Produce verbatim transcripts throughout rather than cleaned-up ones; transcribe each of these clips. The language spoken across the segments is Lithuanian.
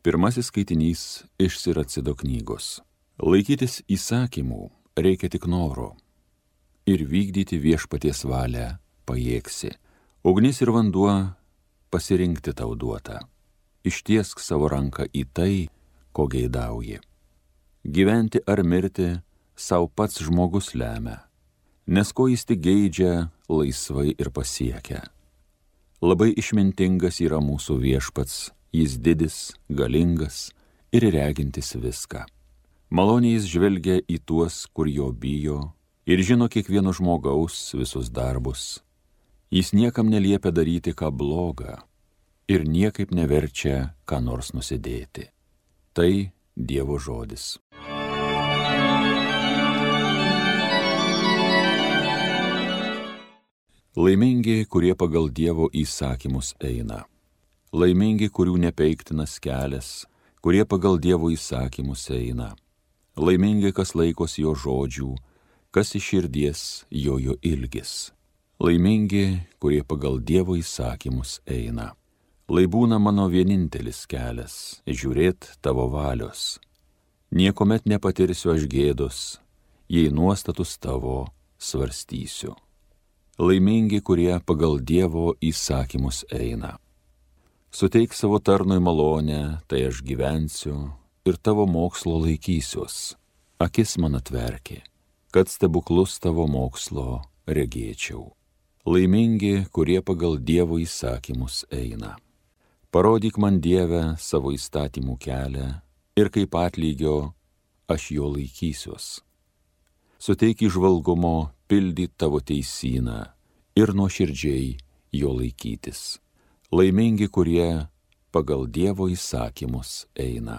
Pirmasis skaitinys iš Siracido knygos. Laikytis įsakymų reikia tik noro ir vykdyti viešpaties valią pajėgsi. Ugnis ir vanduo pasirinkti tau duota. Ištiesk savo ranką į tai, ko geidauji. Gyventi ar mirti sau pats žmogus lemia, nes ko jis tik geidžia, laisvai ir pasiekia. Labai išmintingas yra mūsų viešpats, jis didis, galingas ir regintis viską. Maloniai jis žvelgia į tuos, kur jo bijo, ir žino kiekvieno žmogaus visus darbus. Jis niekam neliepia daryti ką blogą ir niekaip neverčia ką nors nusidėti. Tai Dievo žodis. Laimingi, kurie pagal Dievo įsakymus eina. Laimingi, kurių nepeiktinas kelias, kurie pagal Dievo įsakymus eina. Laimingi, kas laikos jo žodžių, kas iš širdies jojo ilgis. Laimingi, kurie pagal Dievo įsakymus eina. Lai būna mano vienintelis kelias, žiūrėt tavo valios. Niekomet nepatirsiu aš gėdos, jei nuostatus tavo svarstysiu. Laimingi, kurie pagal Dievo įsakymus eina. Suteik savo tarnui malonę, tai aš gyvensiu ir tavo mokslo laikysiuos. Akis man atverki, kad stebuklus tavo mokslo regėčiau. Laimingi, kurie pagal Dievo įsakymus eina. Parodyk man, Dieve, savo įstatymų kelią ir kaip atlygio aš jo laikysiuos. Suteik įžvalgumo pildyt tavo teisyną ir nuoširdžiai jo laikytis. Laimingi, kurie pagal Dievo įsakymus eina.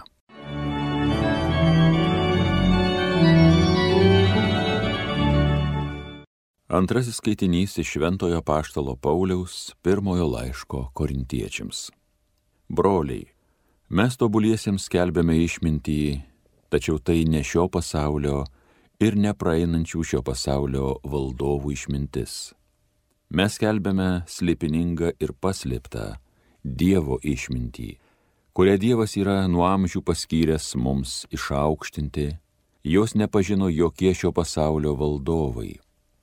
Antrasis skaitinys iš Šventojo apaštalo Pauliaus pirmojo laiško korintiečiams. Broliai, mes tobuliesiems skelbiame išmintį, tačiau tai ne šio pasaulio ir nepraeinančių šio pasaulio valdovų išmintis. Mes skelbiame slėpiningą ir paslėptą Dievo išmintį, kurią Dievas yra nuo amžių paskyręs mums išaukštinti, jos nepažino jokie šio pasaulio valdovai,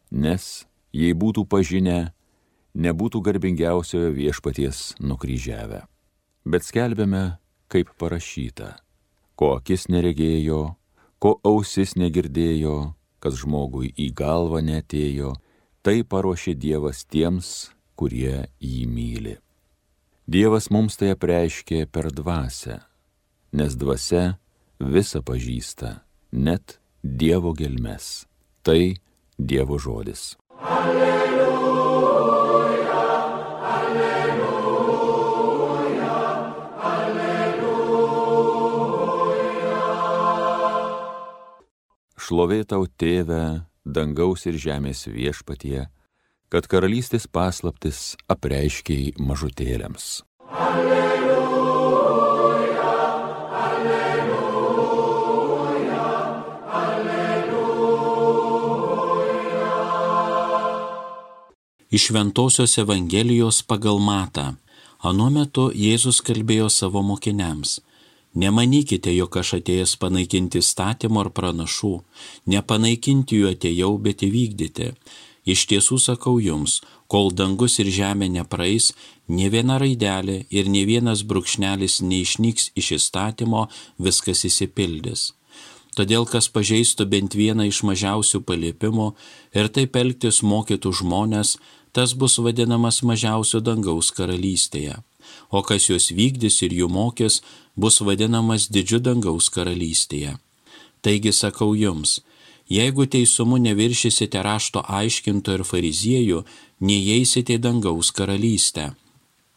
nes jei būtų pažinę, nebūtų garbingiausiojo viešpaties nukryžiavę. Bet skelbiame, kaip parašyta, ko akis neregėjo, ko ausis negirdėjo, kas žmogui į galvą neatėjo, tai paruošė Dievas tiems, kurie jį myli. Dievas mums tai apreiškė per dvasią, nes dvasia visą pažįsta, net Dievo gelmes. Tai Dievo žodis. Alleluja, alleluja, alleluja. Šlovė tau, Tėve, dangaus ir žemės viešpatie, kad karalystės paslaptis apreiškei mažutėliams. Alleluja, alleluja, alleluja. Iš Šventosios Evangelijos pagal Matą. Anuo metu Jėzus kalbėjo savo mokiniams. Nemanykite, jog aš atėjęs panaikinti įstatymo ar pranašų. Nepanaikinti jų atėjau, bet įvykdyti. Iš tiesų sakau jums, kol dangus ir žemė nepraeis, nė viena raidelė ir nė vienas brūkšnelis neišnyks iš įstatymo, viskas išsipildys. Todėl, kas pažeistų bent vieną iš mažiausių paliepimų ir taip elgtis mokytų žmonės, tas bus vadinamas mažiausiu dangaus karalystėje. O kas juos vykdys ir jų mokys, bus vadinamas didžiu dangaus karalystėje. Taigi sakau jums, jeigu teisumu neviršysite rašto aiškinto ir fariziejų, neįeisite į dangaus karalystę.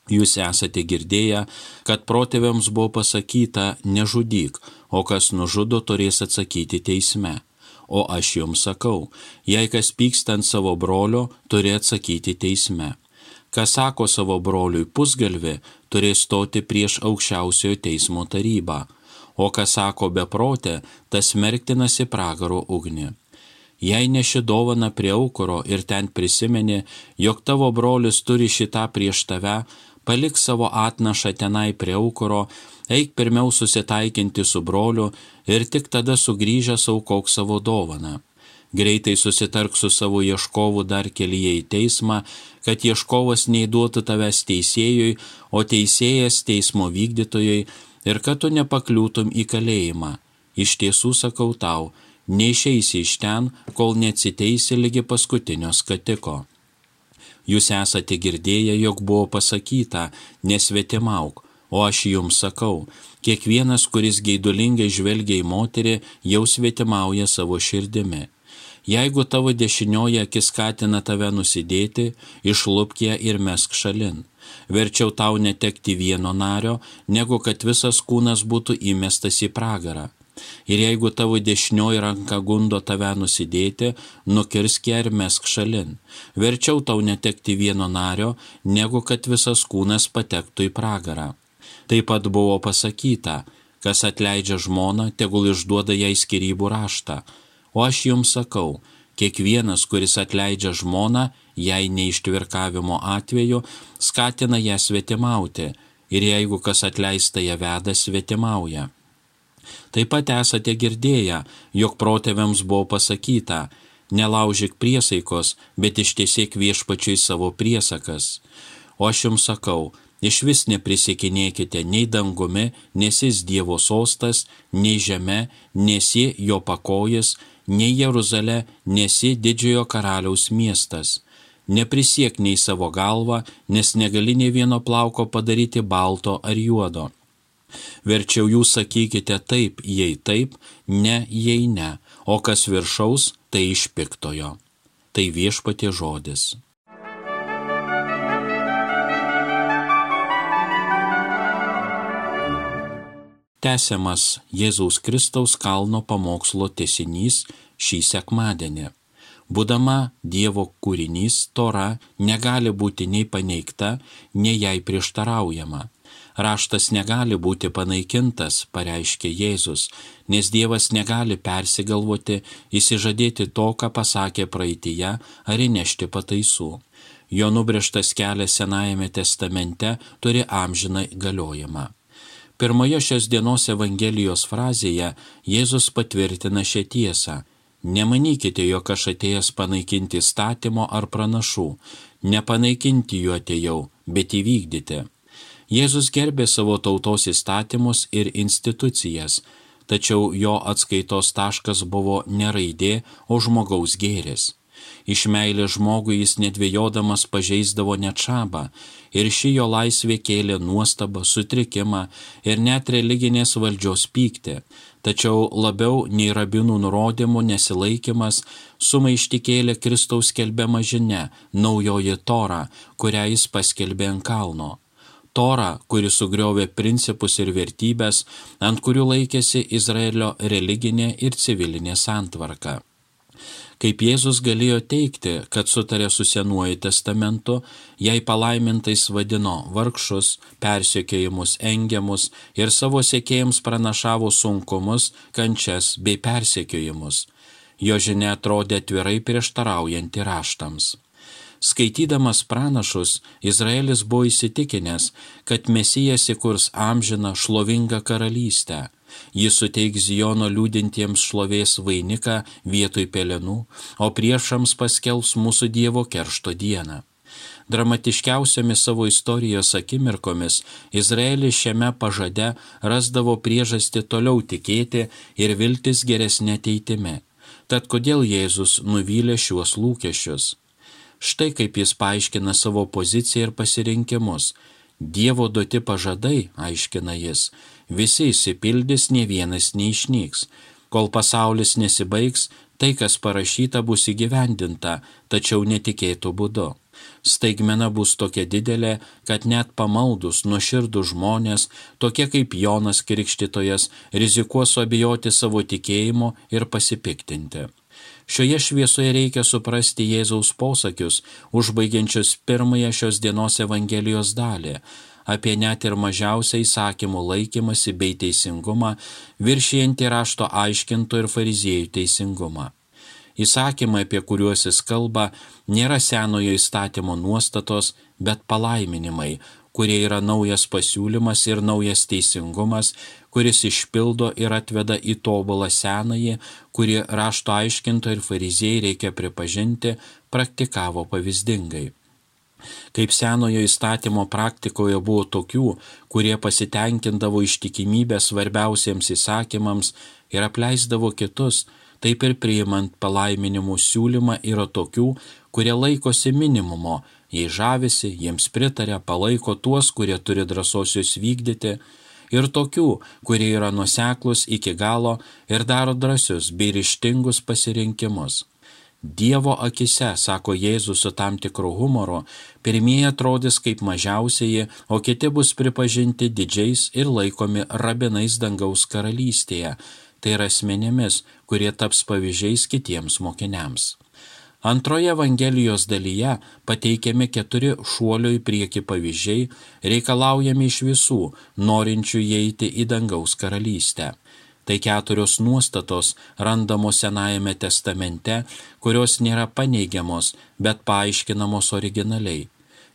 Jūs esate girdėję, kad protėviams buvo pasakyta nežudyk, o kas nužudo turės atsakyti teisme. O aš jums sakau, jei kas pyksta ant savo brolio, turi atsakyti teisme. Kas sako savo broliui pusgalvį, turės stoti prieš aukščiausiojo teismo tarybą. O kas sako beprotę, tas smerktinas į pragaro ugnį. Jei neši dovaną prie aukuro ir ten prisimeni, jog tavo brolis turi šitą prieš tave, palik savo atnašą tenai prie aukuro, eik pirmiau susitaikinti su broliu ir tik tada sugrįžęs aukok savo dovaną. Greitai susitark su savo ieškovu dar kelyje į teismą, kad ieškovas neįduotų tavęs teisėjui, o teisėjas teismo vykdytojai, ir kad tu nepakliūtum į kalėjimą. Iš tiesų sakau tau, neišeisi iš ten, kol neatsiteisi ligi paskutinio skatiko. Jūs esate girdėję, jog buvo pasakyta, nesvetimauk, o aš jums sakau, kiekvienas, kuris geidulingai žvelgia į moterį, jau svetimauja savo širdimi. Jeigu tavo dešinioji akis skatina tave nusidėti, išlupk ją ir mesk šalin. Verčiau tau netekti vieno nario, negu kad visas kūnas būtų įmestas į pragarą. Ir jeigu tavo dešinioji ranka gundo tave nusidėti, nukirsk ją ir mesk šalin. Verčiau tau netekti vieno nario, negu kad visas kūnas patektų į pragarą. Taip pat buvo pasakyta, kas atleidžia žmoną, tegul išduoda jai skyrybų raštą. O aš jums sakau, kiekvienas, kuris atleidžia žmoną, jei neištvirkavimo atveju, skatina ją svetimauti, ir jeigu kas atleista ją veda, svetimauja. Taip pat esate girdėję, jog protėviams buvo pasakyta, nelaužyk priesaikos, bet ištiesėk viešpačiui savo priesakas. O aš jums sakau, iš vis neprisiekinėkite nei dangumi, nes jis Dievo sostas, nei žeme, nes ji jo pakojis, nei Jeruzalė, nes ji didžiojo karaliaus miestas. Neprisiek nei savo galvą, nes negali nei vieno plauko padaryti balto ar juodo. Verčiau jūs sakykite taip, jei taip, ne, jei ne, o kas viršaus, tai iš piktojo. Tai viešpatie žodis. Tęsiamas Jėzaus Kristaus kalno pamokslo tęsinys šį sekmadienį. Būdama Dievo kūrinys, Tora negali būti nei paneigta, nei jai prieštaraujama. Raštas negali būti panaikintas, pareiškė Jėzus, nes Dievas negali persigalvoti, įsižadėti to, ką pasakė praeityje, ar įnešti pataisų. Jo nubrėžtas kelias Senajame testamente turi amžiną galiojimą. Pirmoje šios dienos Evangelijos frazėje Jėzus patvirtina šią tiesą. Nemanykite, jog aš atėjęs panaikinti įstatymo ar pranašų. Nepanaikinti jų atėjau, bet įvykdyti. Jėzus gerbė savo tautos įstatymus ir institucijas, tačiau jo atskaitos taškas buvo ne raidė, o žmogaus gėris. Iš meilės žmogui jis nedvėjodamas pažeisdavo net šabą, ir ši jo laisvė kėlė nuostabą, sutrikimą ir net religinės valdžios pyktį, tačiau labiau nei rabinų nurodymų nesilaikymas sumaištį kėlė Kristaus skelbiama žinia, naujoji Tora, kurią jis paskelbė ant kalno. Tora, kuri sugriovė principus ir vertybės, ant kurių laikėsi Izraelio religinė ir civilinė santvarka. Kaip Jėzus galėjo teikti, kad sutarė su Senuoju testamentu, jei palaimintais vadino vargšus, persekiojimus, engiamus ir savo sekėjams pranašavo sunkumus, kančias bei persekiojimus. Jo žinia atrodė atvirai prieštaraujanti raštams. Skaitydamas pranašus, Izraelis buvo įsitikinęs, kad Mesijas įkurs amžiną šlovingą karalystę. Jis suteiks Ziono liūdintiems šlovės vainiką vietoj pelenų, o priešams paskelbs mūsų Dievo keršto dieną. Dramatiškiausiomis savo istorijos akimirkomis Izraelis šiame pažade rasdavo priežastį toliau tikėti ir viltis geresnė ateitimi. Tad kodėl Jėzus nuvylė šiuos lūkesčius? Štai kaip jis paaiškina savo poziciją ir pasirinkimus. Dievo duoti pažadai, aiškina jis, visi išsipildys, nė vienas neišnyks. Kol pasaulis nesibaigs, tai, kas parašyta, bus įgyvendinta, tačiau netikėtų būdu. Staigmena bus tokia didelė, kad net pamaldus, nuoširdus žmonės, tokie kaip Jonas Krikštytojas, rizikuos suabejoti savo tikėjimu ir pasipiktinti. Šioje šviesoje reikia suprasti Jėzaus posakius, užbaigiančius pirmąją šios dienos Evangelijos dalį, apie net ir mažiausią įsakymų laikymasi bei teisingumą, viršijantį rašto aiškintų ir fariziejų teisingumą. Įsakymai, apie kuriuos jis kalba, nėra senojo įstatymo nuostatos, bet palaiminimai, kurie yra naujas pasiūlymas ir naujas teisingumas, kuris išpildo ir atveda į tobulą senąjį, kurį rašto aiškintojai ir fariziejai, reikia pripažinti, praktikavo pavyzdingai. Kaip senojo įstatymo praktikoje buvo tokių, kurie pasitenkindavo ištikimybę svarbiausiems įsakymams ir apleisdavo kitus, taip ir priimant palaiminimų siūlymą yra tokių, kurie laikosi minimumo, jei žavisi, jiems pritaria, palaiko tuos, kurie turi drąsos juos vykdyti, ir tokių, kurie yra nuoseklūs iki galo ir daro drąsius bei ryžtingus pasirinkimus. Dievo akise, sako Jėzus su tam tikru humoru, pirmieji atrodys kaip mažiausieji, o kiti bus pripažinti didžiais ir laikomi rabinais dangaus karalystėje, tai yra asmenėmis, kurie taps pavyzdžiais kitiems mokiniams. Antroje Evangelijos dalyje pateikiami keturi šuolio į priekį pavyzdžiai, reikalaujami iš visų, norinčių įeiti į dangaus karalystę. Tai keturios nuostatos randamos Senajame testamente, kurios nėra paneigiamos, bet paaiškinamos originaliai.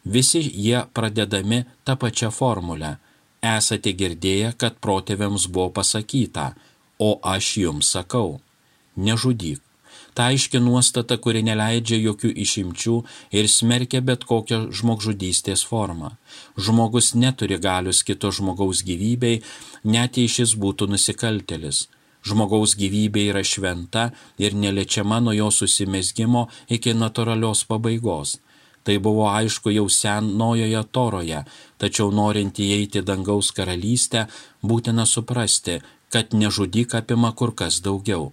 Visi jie pradedami tą pačią formulę. Esate girdėję, kad protėviams buvo pasakyta, o aš jums sakau, nežudyk. Ta aiški nuostata, kuri neleidžia jokių išimčių ir smerkia bet kokią žmogžudystės formą. Žmogus neturi galios kito žmogaus gyvybei, net jei šis būtų nusikaltėlis. Žmogaus gyvybė yra šventa ir neliečiama nuo jo susimezgimo iki natūralios pabaigos. Tai buvo aišku jau senojoje Toroje, tačiau norint įeiti dangaus karalystę, būtina suprasti, kad nežudyk apima kur kas daugiau.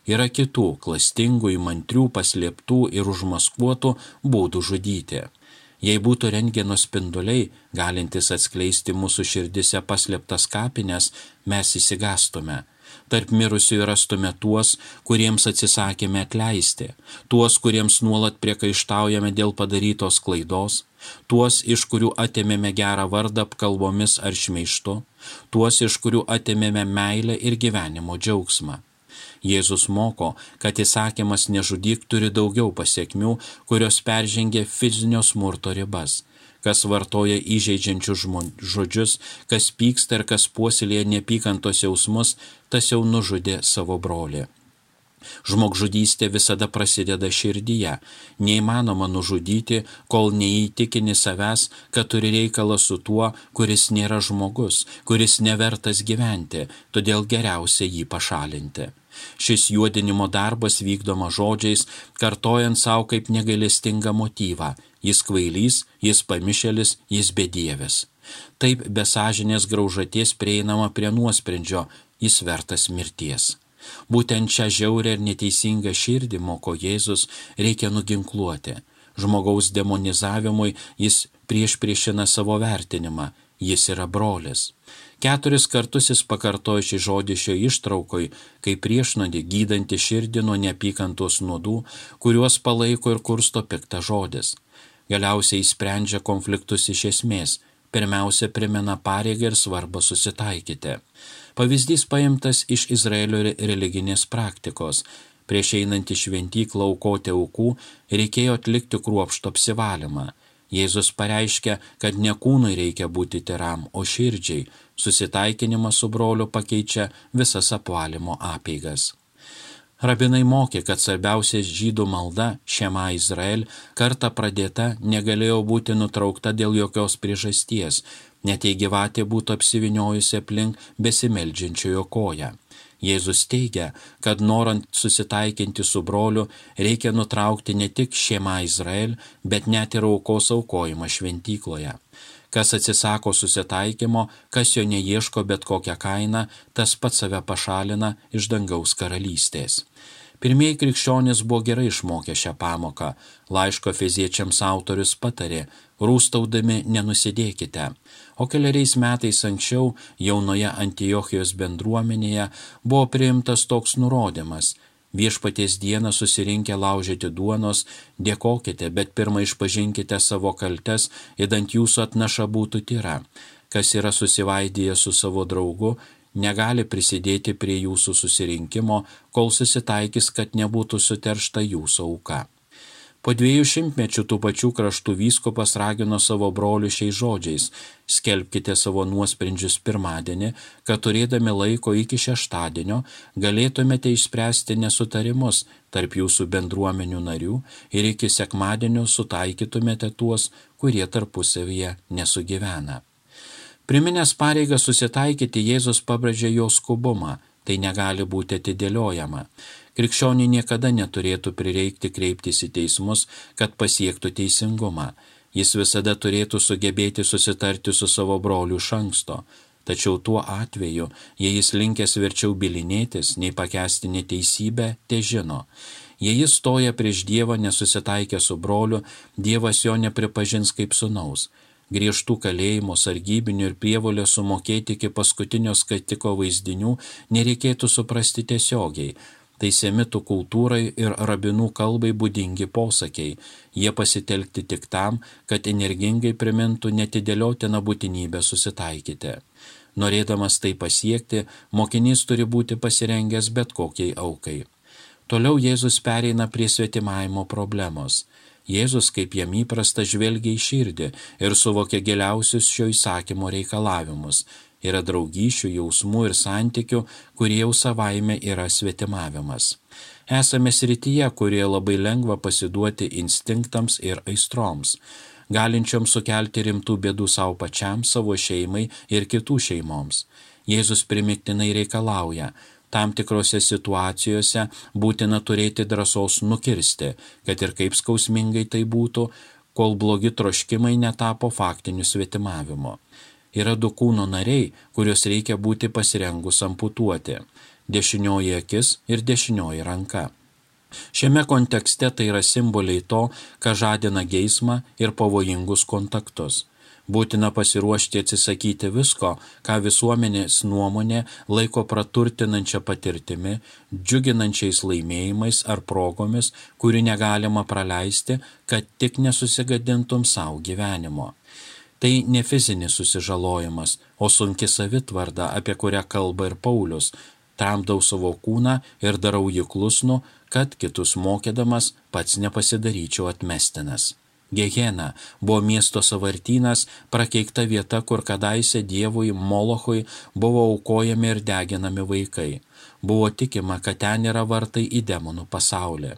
Yra kitų, klastingų, įmantrių, paslėptų ir užmaskuotų būdų žudyti. Jei būtų rentgeno spinduliai, galintys atskleisti mūsų širdise paslėptas kapines, mes įsigastume. Tarp mirusiųjų rastume tuos, kuriems atsisakėme atleisti, tuos, kuriems nuolat priekaištaujame dėl padarytos klaidos, tuos, iš kurių atėmėme gerą vardą apkalbomis ar šmeižtu, tuos, iš kurių atėmėme meilę ir gyvenimo džiaugsmą. Jėzus moko, kad įsakymas nežudyk turi daugiau pasekmių, kurios peržengia fizinio smurto ribas. Kas vartoja įžeidžiančius žodžius, kas pyksta ir kas puoselėja neapykantos jausmus, tas jau nužudė savo brolį. Žmogžudystė visada prasideda širdyje. Neįmanoma nužudyti, kol neįtikini savęs, kad turi reikalą su tuo, kuris nėra žmogus, kuris nevertas gyventi, todėl geriausia jį pašalinti. Šis juodinimo darbas vykdoma žodžiais, kartojant savo kaip negailestingą motyvą. Jis kvailys, jis pamišėlis, jis bedievis. Taip be sąžinės graužaties prieinama prie nuosprendžio, jis vertas mirties. Būtent šią žiaurę ir neteisingą širdį, moko Jėzus, reikia nuginkluoti. Žmogaus demonizavimui jis priešpriešina savo vertinimą, jis yra brolis. Keturis kartus jis pakartojo šį žodį šio ištraukoj, kaip priešnuodį gydantį širdį nuo neapykantos nuodų, kuriuos palaiko ir kursto piktas žodis. Galiausiai sprendžia konfliktus iš esmės. Pirmiausia, primena pareigą ir svarbą susitaikyti. Pavyzdys paimtas iš Izraelio religinės praktikos. Prieš einant į šventyklą aukoti aukų, reikėjo atlikti kruopštų apsivalymą. Jėzus pareiškia, kad ne kūnui reikia būti tyram, o širdžiai. Susitaikinimas su broliu pakeičia visas apvalymo apeigas. Rabinai mokė, kad svarbiausia žydų malda, Šema Izrael, kartą pradėta, negalėjo būti nutraukta dėl jokios priežasties, net jei gyvatė būtų apsiviniojusi aplink besimeldžiančiojo koją. Jėzus teigia, kad norint susitaikinti su broliu, reikia nutraukti ne tik Šema Izrael, bet net ir aukos aukojimą šventykloje. Kas atsisako susitaikymo, kas jo neieško bet kokią kainą, tas pats save pašalina iš dangaus karalystės. Pirmieji krikščionys buvo gerai išmokę šią pamoką. Laiško Efeziečiams autorius patarė, rūstaudami nenusidėkite. O keliariais metais anksčiau jaunoje Antiochijos bendruomenėje buvo priimtas toks nurodymas. Viešpaties dieną susirinkę laužyti duonos, dėkokite, bet pirmą išpažinkite savo kaltes, idant jūsų atnaša būtų tyra. Kas yra susivaidyję su savo draugu, negali prisidėti prie jūsų susirinkimo, kol susitaikys, kad nebūtų suteršta jūsų auka. Po dviejų šimtmečių tų pačių kraštų vyskupas ragino savo brolių šiais žodžiais: skelbkite savo nuosprendžius pirmadienį, kad turėdami laiko iki šeštadienio galėtumėte išspręsti nesutarimus tarp jūsų bendruomenių narių ir iki sekmadienio sutaikytumėte tuos, kurie tarpusavyje nesugyvena. Priminęs pareigą susitaikyti, Jėzus pabrėžė jo skubumą, tai negali būti atidėliojama. Krikščioniui niekada neturėtų prireikti kreiptis į teismus, kad pasiektų teisingumą. Jis visada turėtų sugebėti susitarti su savo broliu iš anksto. Tačiau tuo atveju, jei jis linkęs verčiau bylinėtis, nei pakęsti neteisybę, te žino. Jei jis stoja prieš Dievą nesusitaikę su broliu, Dievas jo nepripažins kaip sūnaus. Griežtų kalėjimų, sargybinių ir prievolės sumokėti iki paskutinio skatiko vaizdinių nereikėtų suprasti tiesiogiai. Tai semitų kultūrai ir rabinų kalbai būdingi posakiai. Jie pasitelkti tik tam, kad energingai primintų netidėliotiną būtinybę susitaikyti. Norėdamas tai pasiekti, mokinys turi būti pasirengęs bet kokiai aukai. Toliau Jėzus pereina prie svetimavimo problemos. Jėzus, kaip jam įprasta, žvelgia į širdį ir suvokia giliausius šio įsakymo reikalavimus. Yra draugysčių, jausmų ir santykių, kurie jau savaime yra svetimavimas. Esame srityje, kurie labai lengva pasiduoti instinktams ir aistroms, galinčioms sukelti rimtų bėdų savo pačiam, savo šeimai ir kitų šeimoms. Jėzus primiktinai reikalauja: tam tikrose situacijose būtina turėti drąsos nukirsti, kad ir kaip skausmingai tai būtų, kol blogi troškimai netapo faktiniu svetimavimu. Yra du kūno nariai, kuriuos reikia būti pasirengus amputuoti – dešinioji akis ir dešinioji ranka. Šiame kontekste tai yra simboliai to, ką žadina geismą ir pavojingus kontaktus. Būtina pasiruošti atsisakyti visko, ką visuomenės nuomonė laiko praturtinančia patirtimi, džiuginančiais laimėjimais ar progomis, kurių negalima praleisti, kad tik nesusigadintum savo gyvenimo. Tai ne fizinis susižalojimas, o sunki savitvarda, apie kurią kalba ir Paulius. Tramdau savo kūną ir darau jį klusnų, kad kitus mokydamas pats nepasidaryčiau atmestinas. Gehena buvo miesto sąvartynas, prakeikta vieta, kur kadaise dievui Molochui buvo aukojami ir deginami vaikai. Buvo tikima, kad ten yra vartai į demonų pasaulį.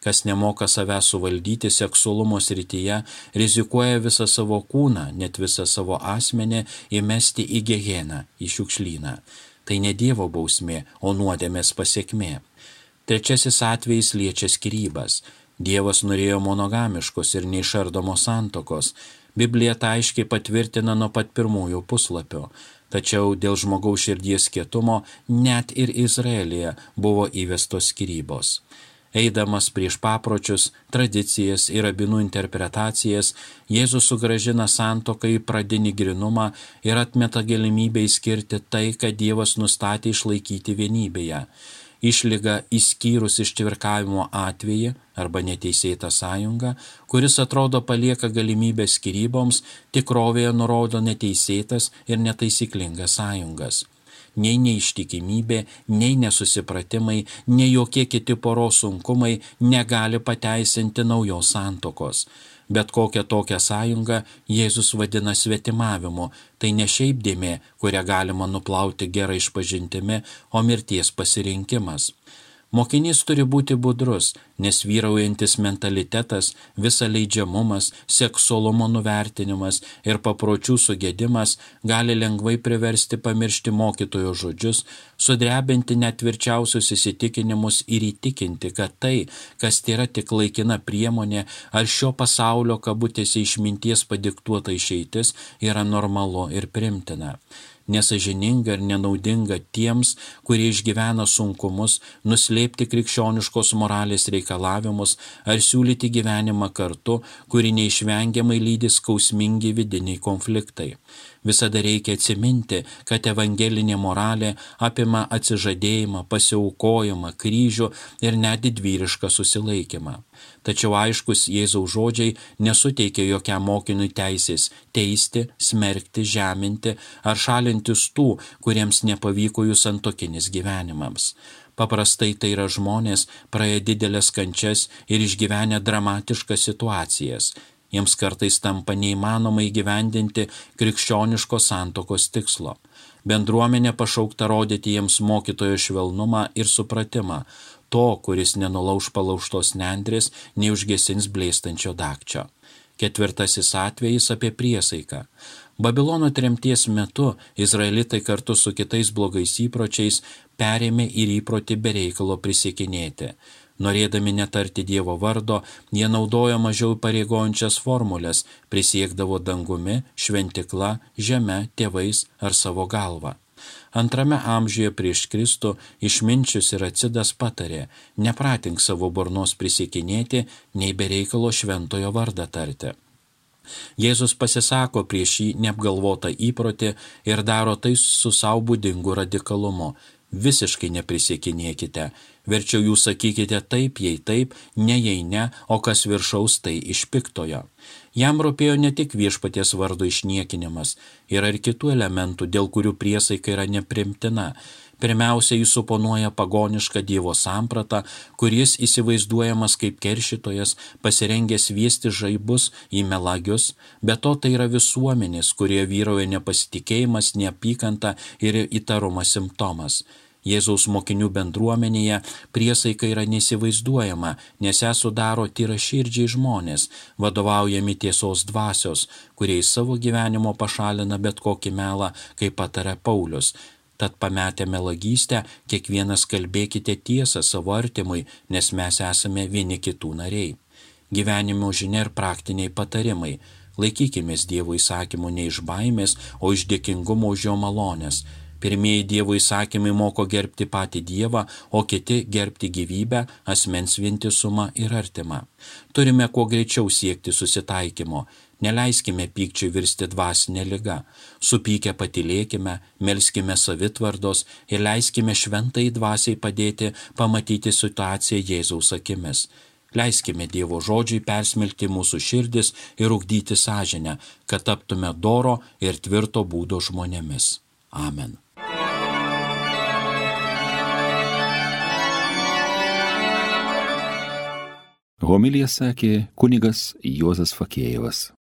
Kas nemoka savęs suvaldyti seksualumo srityje, rizikuoja visą savo kūną, net visą savo asmenį įmesti į Geheną, į šiukšlyną. Tai ne Dievo bausmė, o nuodėmės pasekmė. Trečiasis atvejis liečia skyrybas. Dievas norėjo monogamiškos ir neišardomos santokos. Biblija tai aiškiai patvirtina nuo pat pirmųjų puslapio. Tačiau dėl žmogaus širdies kietumo net ir Izraelyje buvo įvestos skyrybos. Eidamas prieš papročius, tradicijas ir rabinų interpretacijas, Jėzus sugrąžina santuoką į pradinį grinumą ir atmeta galimybę išskirti tai, ką Dievas nustatė išlaikyti vienybėje. Išlyga išskyrus ištvirkavimo atvejį arba neteisėtą sąjungą, kuris atrodo palieka galimybę skyryboms, tikrovėje nurodo neteisėtas ir netaisyklingas sąjungas. Nei neištikimybė, nei nesusipratimai, nei jokie kiti poros sunkumai negali pateisinti naujos santuokos. Bet kokią tokią sąjungą Jėzus vadina svetimavimu, tai ne šiaip dėmė, kurią galima nuplauti gerą išpažintimi, o mirties pasirinkimas. Mokinys turi būti budrus, nes vyraujantis mentalitetas, visa leidžiamumas, seksualumo nuvertinimas ir papročių sugedimas gali lengvai priversti pamiršti mokytojo žodžius, sudrebinti net tvirčiausius įsitikinimus ir įtikinti, kad tai, kas tėra tik laikina priemonė ar šio pasaulio kabutėse išminties padiktuota išeitis, yra normalu ir primtina. Nesažininga ir nenaudinga tiems, kurie išgyvena sunkumus, nuslėpti krikščioniškos moralės reikalavimus ar siūlyti gyvenimą kartu, kuri neišvengiamai lydi skausmingi vidiniai konfliktai. Visada reikia atsiminti, kad evangelinė moralė apima atsižadėjimą, pasiaukojimą, kryžių ir net didvyrišką susilaikymą. Tačiau aiškus Jėzaus žodžiai nesuteikia jokiam mokiniui teisės teisti, smerkti, žeminti ar šalintis tų, kuriems nepavyko jų santuokinis gyvenimams. Paprastai tai yra žmonės praėję didelės kančias ir išgyvenę dramatiškas situacijas. Jiems kartais tampa neįmanoma įgyvendinti krikščioniškos santuokos tikslo. Bendruomenė pašaukta rodyti jiems mokytojo švelnumą ir supratimą, to, kuris nenulauš palaužtos nendrės, neužgesins blėstančio dagčio. Ketvirtasis atvejis apie priesaiką. Babilono tremties metu izraelitai kartu su kitais blogais įpročiais perėmė ir įprotį be reikalo prisiekinėti. Norėdami netarti Dievo vardo, jie naudojo mažiau pareigojančias formulės, prisiekdavo dangumi, šventikla, žeme, tėvais ar savo galva. Antrame amžiuje prieš Kristų išminčius ir acidas patarė, nepratink savo burnos prisiekinėti, nei be reikalo šventojo vardą tarti. Jėzus pasisako prieš šį neapgalvotą įprotį ir daro tai su sau būdingu radikalumu. Visiškai neprisiekinėkite, verčiau jūs sakykite taip, jei taip, ne jei ne, o kas viršaus tai iš piktojo. Jam rūpėjo ne tik viešpaties vardo išniekinimas, yra ir kitų elementų, dėl kurių priesaika yra neprimtina. Pirmiausia, jis suponuoja pagonišką Dievo sampratą, kuris įsivaizduojamas kaip keršytojas, pasirengęs viesti žaibus į melagius, bet to tai yra visuomenės, kurie vyrauja nepasitikėjimas, neapykanta ir įtarumas simptomas. Jėzaus mokinių bendruomenėje priesaika yra neįsivaizduojama, nes ją sudaro tyraširdžiai žmonės, vadovaujami tiesos dvasios, kurie į savo gyvenimo pašalina bet kokį melą, kaip pataria Paulius. Tad pametę melagystę, kiekvienas kalbėkite tiesą savo artimui, nes mes esame vieni kitų nariai. Gyvenimo žinia ir praktiniai patarimai. Laikykimės Dievo įsakymų ne iš baimės, o iš dėkingumo už jo malonės. Pirmieji Dievo įsakymai moko gerbti patį Dievą, o kiti gerbti gyvybę, asmens vientisumą ir artimą. Turime kuo greičiau siekti susitaikymo. Neleiskime pykčiui virsti dvasinę ligą. Supykę patylėkime, melskime savitvardos ir leiskime šventai dvasiai padėti pamatyti situaciją Jėzaus akimis. Leiskime Dievo žodžiui persmelkti mūsų širdis ir ugdyti sąžinę, kad taptume doro ir tvirto būdo žmonėmis. Amen. Homiliją sakė kunigas Juozas Fakėjevas.